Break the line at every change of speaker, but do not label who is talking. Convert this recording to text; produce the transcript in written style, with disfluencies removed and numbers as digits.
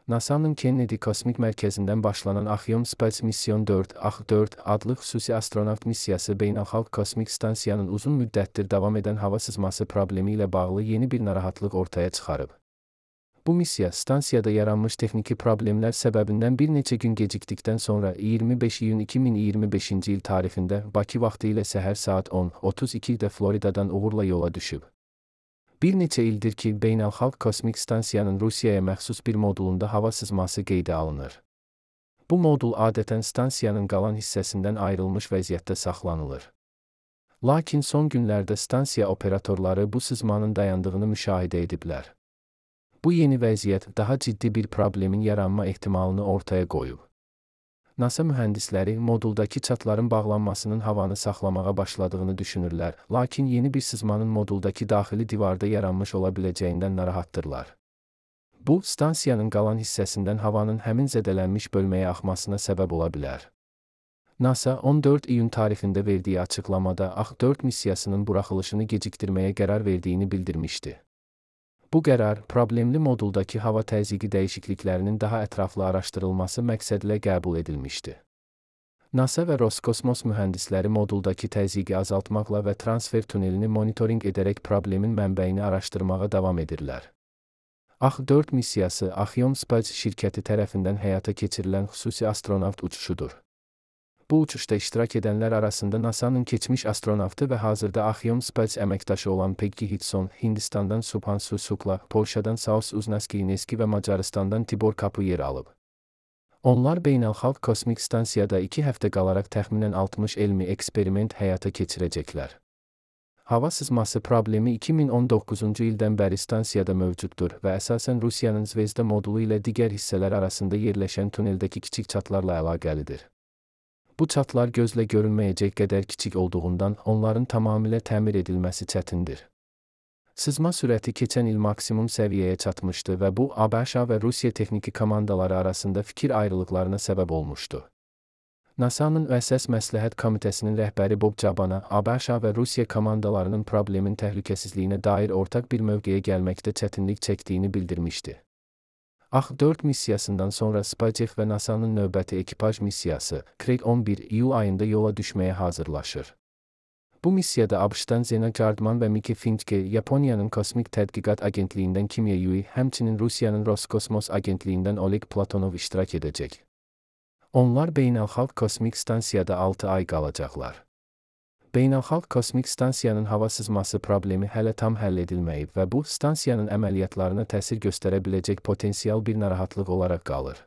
NASA'nın Kennedy Kosmik Mərkəzindən başlanan Axiom Space Mission 4 (AX-4) adlı xüsusi astronavt missiyası beynəlxalq kosmik stansiyanın uzun müddətdir davam edən hava sızması problemi ilə bağlı yeni bir narahatlıq ortaya çıxarıb. Bu missiya, stansiyada yaranmış texniki problemlər səbəbindən bir neçə gün gecikdikdən sonra 25 iyun 2025-ci il tarixində Bakı vaxtı ilə səhər saat 10:32-də Floridadan uğurla yola düşüb. Bir neçə ildir ki, beynəlxalq kosmik stansiyanın Rusiyaya məxsus bir modulunda hava sızması qeydə alınır. Bu modul adətən stansiyanın qalan hissəsindən ayrılmış vəziyyətdə saxlanılır. Lakin son günlərdə stansiya operatorları bu sızmanın dayandığını müşahidə ediblər. Bu yeni vəziyyət daha ciddi bir problemin yaranma ehtimalını ortaya qoyub. NASA mühəndisləri moduldakı çatların bağlanmasının havanı saxlamağa başladığını düşünürlər, lakin yeni bir sızmanın moduldakı daxili divarda yaranmış ola biləcəyindən narahatdırlar. Bu, stansiyanın qalan hissəsindən havanın həmin zədələnmiş bölməyə axmasına səbəb ola bilər. NASA 14 iyun tarixində verdiyi açıqlamada AX-4 missiyasının buraxılışını gecikdirməyə qərar verdiyini bildirmişdi. Bu qərar, problemli moduldakı hava təzyiqi dəyişikliklərinin daha ətraflı araşdırılması məqsədilə qəbul edilmişdi. NASA və Roskosmos mühəndisləri moduldakı təzyiqi azaltmaqla və transfer tunelini monitorinq edərək problemin mənbəyini araşdırmağa davam edirlər. AX-4 missiyası Axiom Space şirkəti tərəfindən həyata keçirilən xüsusi astronavt uçuşudur. Bu uçuşda iştirak edənlər arasında NASA'nın keçmiş astronavtı və hazırda Axiom Space əməkdaşı olan Peggy Hudson, Hindistandan Subhanshu Shukla, Polşadan Saus Uznaski və Macaristandan Tibor Kapı yer alıb. Onlar beynəlxalq kosmik stansiyada 2 həftə qalaraq təxminən 60 elmi eksperiment həyata keçirəcəklər. Hava sızması problemi 2019-cu ildən bəri stansiyada mövcuddur və əsasən Rusiyanın Zvezda modulu ilə digər hissələr arasında yerləşən tuneldəki kiçik çatlarla əlaqəlidir. Bu çatlar gözlə görünməyəcək qədər kiçik olduğundan onların tamamilə təmir edilməsi çətindir. Sızma sürəti keçən il maksimum səviyyəyə çatmışdı və bu, ABŞ və Rusiya texniki komandaları arasında fikir ayrılıqlarına səbəb olmuşdu. NASA'nın Əsas Məsləhət Komitəsinin rəhbəri Bob Cabana, ABŞ və Rusiya komandalarının problemin təhlükəsizliyinə dair ortaq bir mövqeyə gəlməkdə çətinlik çəkdiyini bildirmişdi. AX-4 missiyasından sonra SpaceX və NASA'nın növbəti ekipaj missiyası, Craig 11 iyul ayında yola düşməyə hazırlaşır. Bu missiyada ABŞ-dan Zena Gardman və Mickey Finke, Yaponiyanın Kosmik Tədqiqat Agentliyindən Kimya Yui, həmçinin Rusiyanın Roskosmos Agentliyindən Oleg Platonov iştirak edəcək. Onlar beynəlxalq kosmik stansiyada 6 ay qalacaqlar. Beynəlxalq kosmik stansiyanın hava sızması problemi hələ tam həll edilməyib və bu, stansiyanın əməliyyatlarına təsir göstərə biləcək potensial bir narahatlıq olaraq qalır.